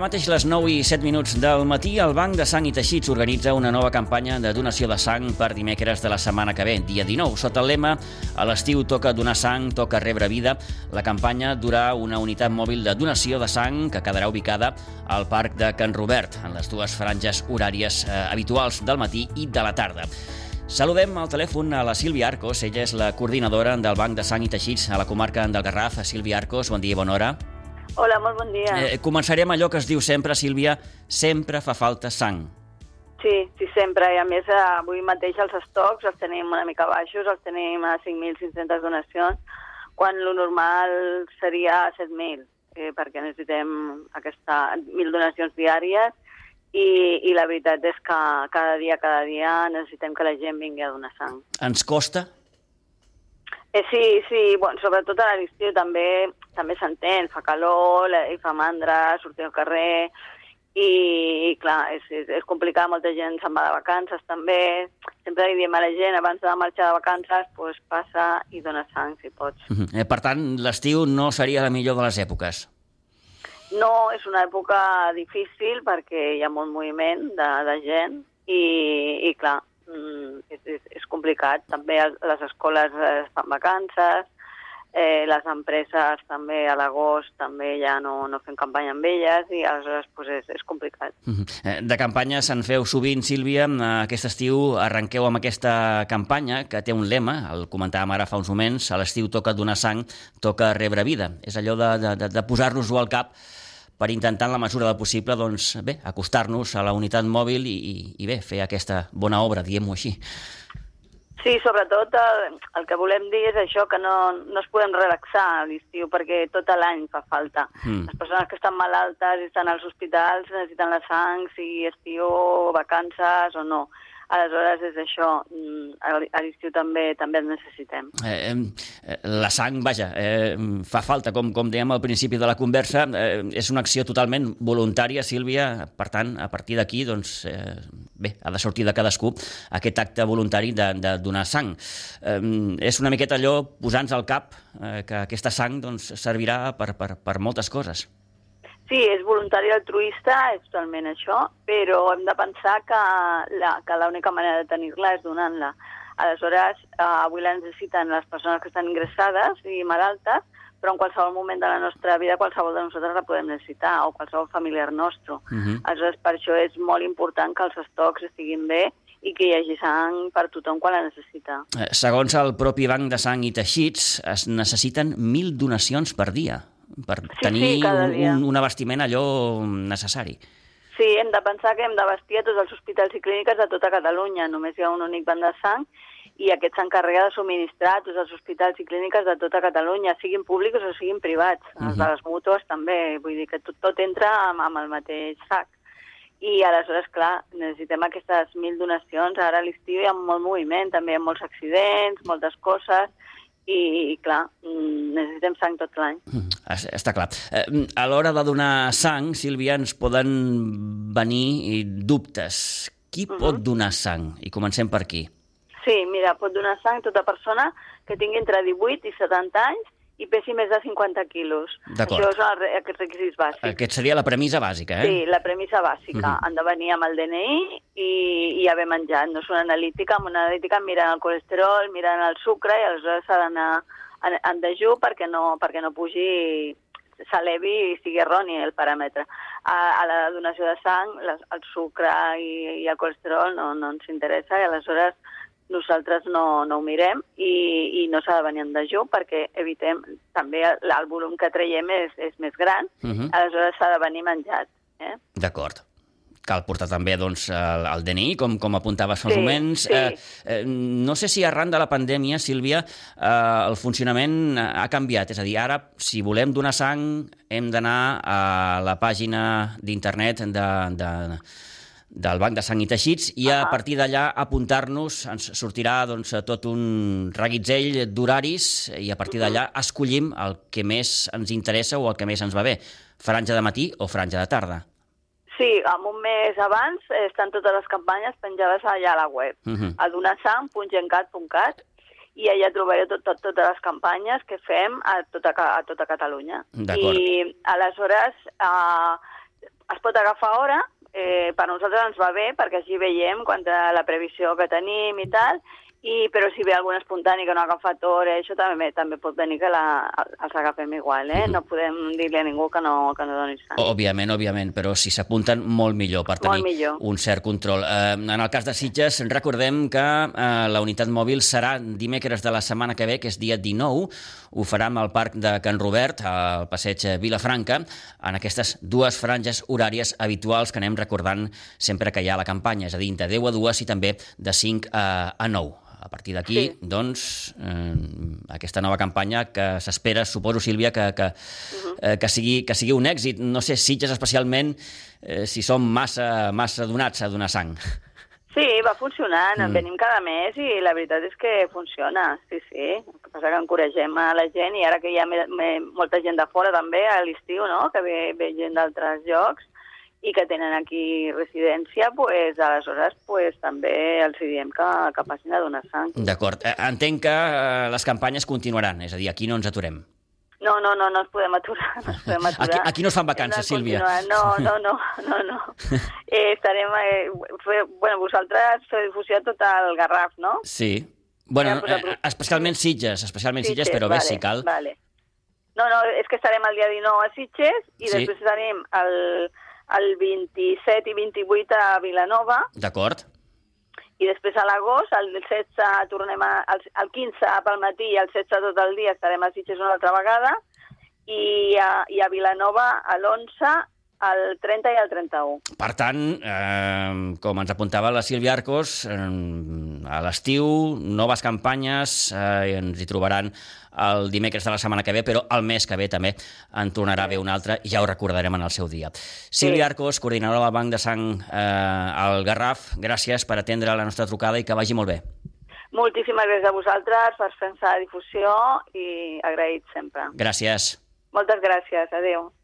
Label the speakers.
Speaker 1: mateix les 9 i 7 minuts del matí, el Banc de Sang i Teixits organitza una nova campanya de donació de sang per dimecres de la setmana que ve, dia 19. Sota el lema "A l'estiu toca donar sang, toca rebre vida", la campanya durà una unitat mòbil de donació de sang que quedarà ubicada al Parc de Can Robert, en les dues franges horàries habituals del matí i de la tarda. Saludem al telèfon a la Sílvia Arcos. Ella és la coordinadora del Banc de Sang i Teixits a la comarca del Garraf. Sílvia Arcos, bon dia i bona hora.
Speaker 2: Hola, molt bon dia.
Speaker 1: Començarem allò que es diu sempre, Sílvia, sempre fa falta sang.
Speaker 2: Sí, sempre. I a més, avui mateix els estocs els tenim una mica baixos, els tenim a 5.500 donacions, quan lo normal seria 7.000, perquè necessitem 1.000 donacions diàries i la veritat és que cada dia necessitem que la gent vingui a donar sang.
Speaker 1: Ens costa?
Speaker 2: Sí, bueno, sobretot a l'estiu també s'entén, fa calor, i fa mandra, sortir al carrer, i clar, és complicat, molta gent se'n va de vacances també, sempre li diem a la gent, abans de marxar de vacances, doncs passa i dona sang, si pots.
Speaker 1: Per tant, l'estiu no seria la millor de les èpoques?
Speaker 2: No, és una època difícil perquè hi ha molt moviment de gent i clar, és complicat. També les escoles fan vacances, les empreses també a l'agost també ja no fem campanya amb elles i aleshores és complicat.
Speaker 1: De campanya se'n feu sovint, Sílvia. Aquest estiu arrenqueu amb aquesta campanya que té un lema, el comentàvem ara fa uns moments: a l'estiu toca donar sang, toca rebre vida. És allò de posar-nos-ho al cap per intentar, en la mesura del possible, doncs, bé, acostar-nos a la unitat mòbil i bé, fer aquesta bona obra, diguem-ho així.
Speaker 2: Sí, sobretot el que volem dir és això, que no es podem relaxar a l'estiu, perquè tot l'any fa falta. Les persones que estan malaltes i estan als hospitals necessiten la sang, sigui estiu, vacances o no. Aleshores és això, a l'estiu també el necessitem.
Speaker 1: La sang, vaja, fa falta, com dèiem al principi de la conversa, és una acció totalment voluntària, Sílvia, per tant, a partir d'aquí, doncs, bé, ha de sortir de cadascú aquest acte voluntari de donar sang. És una miqueta allò, posar-nos al cap, que aquesta sang doncs, servirà per moltes coses.
Speaker 2: Sí, és voluntari altruista, és totalment això, però hem de pensar que l'única manera de tenir-la és donant-la. Aleshores, avui la necessiten les persones que estan ingressades i malaltes, però en qualsevol moment de la nostra vida qualsevol de nosaltres la podem necessitar, o qualsevol familiar nostre. Aleshores, per això és molt important que els estocs estiguin bé i que hi hagi sang per tothom quan la necessita.
Speaker 1: Segons el propi Banc de Sang i Teixits, es necessiten 1.000 donacions per dia per tenir un abastiment allò necessari.
Speaker 2: Sí, hem de pensar que hem d'abastir a tots els hospitals i clíniques de tota Catalunya. Només hi ha un únic banc de sang i aquest s'encarrega de subministrar a tots els hospitals i clíniques de tota Catalunya, siguin públics o siguin privats. Els de les mútues també, vull dir que tot entra amb el mateix sac. I aleshores, clar, necessitem aquestes 1.000 donacions. Ara a l'estiu hi ha molt moviment, també hi ha molts accidents, moltes coses, i clar, necessitem sang tot l'any.
Speaker 1: Està clar. A l'hora de donar sang, Sílvia, ens poden venir dubtes. Qui pot donar sang? I comencem per aquí.
Speaker 2: Sí, mira, pot donar sang tota persona que tingui entre 18 i 70 anys i pesi més de 50 quilos.
Speaker 1: D'acord.
Speaker 2: Això són aquests requisits bàsics.
Speaker 1: Aquest seria la premissa bàsica, eh?
Speaker 2: Sí, la premissa bàsica. Han de venir amb el DNI i haver menjat. No és una analítica. Amb una analítica miren el colesterol, miren el sucre i aleshores s'ha d'anar en dejú perquè no pugi, s'elevi i sigui erroni el paràmetre. A la donació de sang, el sucre i el colesterol no ens interessa i aleshores nosaltres no ho mirem i no s'ha de venir en dejú perquè evitem, també el volum que traiem és més gran, aleshores s'ha de venir menjat.
Speaker 1: D'acord. Cal portar també doncs, el DNI, com apuntaves fa uns moments.
Speaker 2: Sí.
Speaker 1: No sé si arran de la pandèmia, Sílvia, el funcionament ha canviat. És a dir, ara, si volem donar sang, hem d'anar a la pàgina d'internet del Banc de Sang i Teixits i a partir d'allà apuntar-nos, ens sortirà doncs, tot un reguitzell d'horaris i a partir d'allà escollim el que més ens interessa o el que més ens va bé, franja de matí o franja de tarda.
Speaker 2: Sí, un mes abans estan totes les campanyes penjades allà a la web, a donasang.gencat.cat, i allà trobareu totes les campanyes que fem a tota Catalunya. I aleshores es pot agafar hora, per nosaltres ens va bé, perquè així veiem quant a la previsió que tenim i tal, però si ve algun espontani que no ha agafat hora, això també pot venir que els agafem igual, No podem dir-li a ningú que no doni sang.
Speaker 1: Òbviament, però si s'apunten, molt millor, per tenir un cert control. En el cas de Sitges, recordem que la unitat mòbil serà dimecres de la setmana que ve, que és dia 19, ho farà al Parc de Can Robert, al passeig Vilafranca, en aquestes dues franges horàries habituals que anem recordant sempre que hi ha la campanya, és a dir, de 10 a 2 i també de 5 a 9. A partir d'aquí, doncs, aquesta nova campanya que s'espera, suposo, Sílvia, que sigui un èxit. No sé, Sitges especialment, si som massa donats a donar sang.
Speaker 2: Sí, va funcionant, venim cada mes i la veritat és que funciona, sí. El que passa que encoratgem a la gent i ara que hi ha molta gent de fora també a l'estiu, no?, que ve gent d'altres llocs, i que tenen aquí residència, aleshores també els diem que passin a donar sang.
Speaker 1: D'acord. Entenc que les campanyes continuaran, és a dir, aquí no ens aturem.
Speaker 2: No ens podem aturar.
Speaker 1: Aquí no es fan vacances, Sílvia.
Speaker 2: No. Estarem... vosaltres feu difusió a tot el Garraf, no?
Speaker 1: Sí. Bueno, especialment Sitges, però bé, si cal.
Speaker 2: Vale. No, és que estarem el dia 19 a Sitges i després estarem el 27 i 28 a Vilanova.
Speaker 1: D'acord.
Speaker 2: I després a l'agost, el 16 tornem el 15 pel matí i el 16 tot el dia estarem a Sitges una altra vegada i a Vilanova l'11, el 30 i el 31.
Speaker 1: Per tant, com ens apuntava la Sílvia Arcos, a l'estiu, noves campanyes, ens hi trobaran el dimecres de la setmana que ve, però el mes que ve també en tornarà a ve una altra i ja ho recordarem en el seu dia. Sílvia Arcos, coordinadora del Banc de Sang al Garraf, gràcies per atendre la nostra trucada i que vagi molt bé.
Speaker 2: Moltíssimes gràcies a vosaltres per fer la difusió i agraït sempre.
Speaker 1: Gràcies.
Speaker 2: Moltes gràcies, adéu.